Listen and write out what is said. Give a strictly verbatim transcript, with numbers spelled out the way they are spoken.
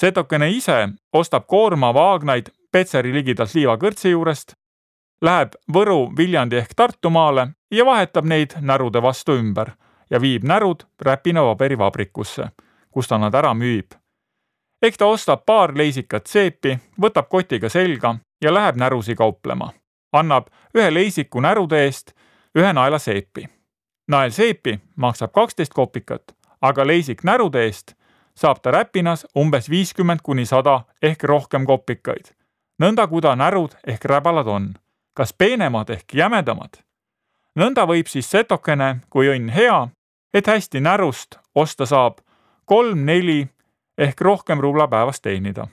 Setokene ise ostab koorma vaagnaid Petseri ligidalt liivakõrtsi juurest, läheb Võru, Viljandi ehk Tartumaale ja vahetab neid närude vastu ümber ja viib närud räpinapaberi vabrikusse, kus ta nad ära müüb. Ehk ta ostab paar leisikat seepi, võtab kotiga selga ja läheb närusi kauplema. Annab ühe leisiku närude eest ühe naela seepi. Nael seepi maksab kaksteist kopikat, aga leisik närude eest saab ta räpinas umbes viiskümmend kuni sada ehk rohkem kopikaid. Nõnda kuda närud ehk räbalad on, kas peenemad ehk jämedamad. Nõnda võib siis setokene, kui õnn hea, et hästi närust osta saab kolm, neli ehk rohkem rubla päevas teenida.